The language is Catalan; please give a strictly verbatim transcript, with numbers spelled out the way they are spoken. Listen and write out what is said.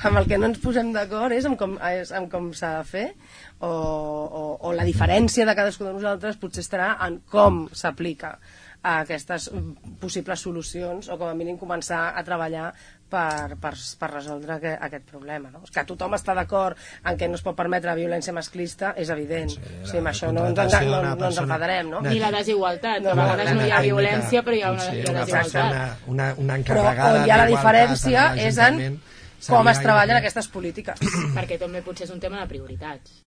amb el que no ens posem d'acord és amb com, és amb com s'ha de fer, o, o, o la diferència de cadascú de nosaltres potser estarà en com s'aplica a aquestes possibles solucions, o com a mínim començar a treballar per, per, per resoldre que, aquest problema, no? Que tothom està d'acord en què no es pot permetre violència masclista és evident, sí, o sigui, amb això no, no, no, no ens enfadarem, no? Ni la desigualtat, no, a vegades no hi ha violència però hi ha una, sí, una desigualtat, una, una, una però on hi ha la diferència és en com es treballen aquestes polítiques, perquè també potser és un tema de prioritats.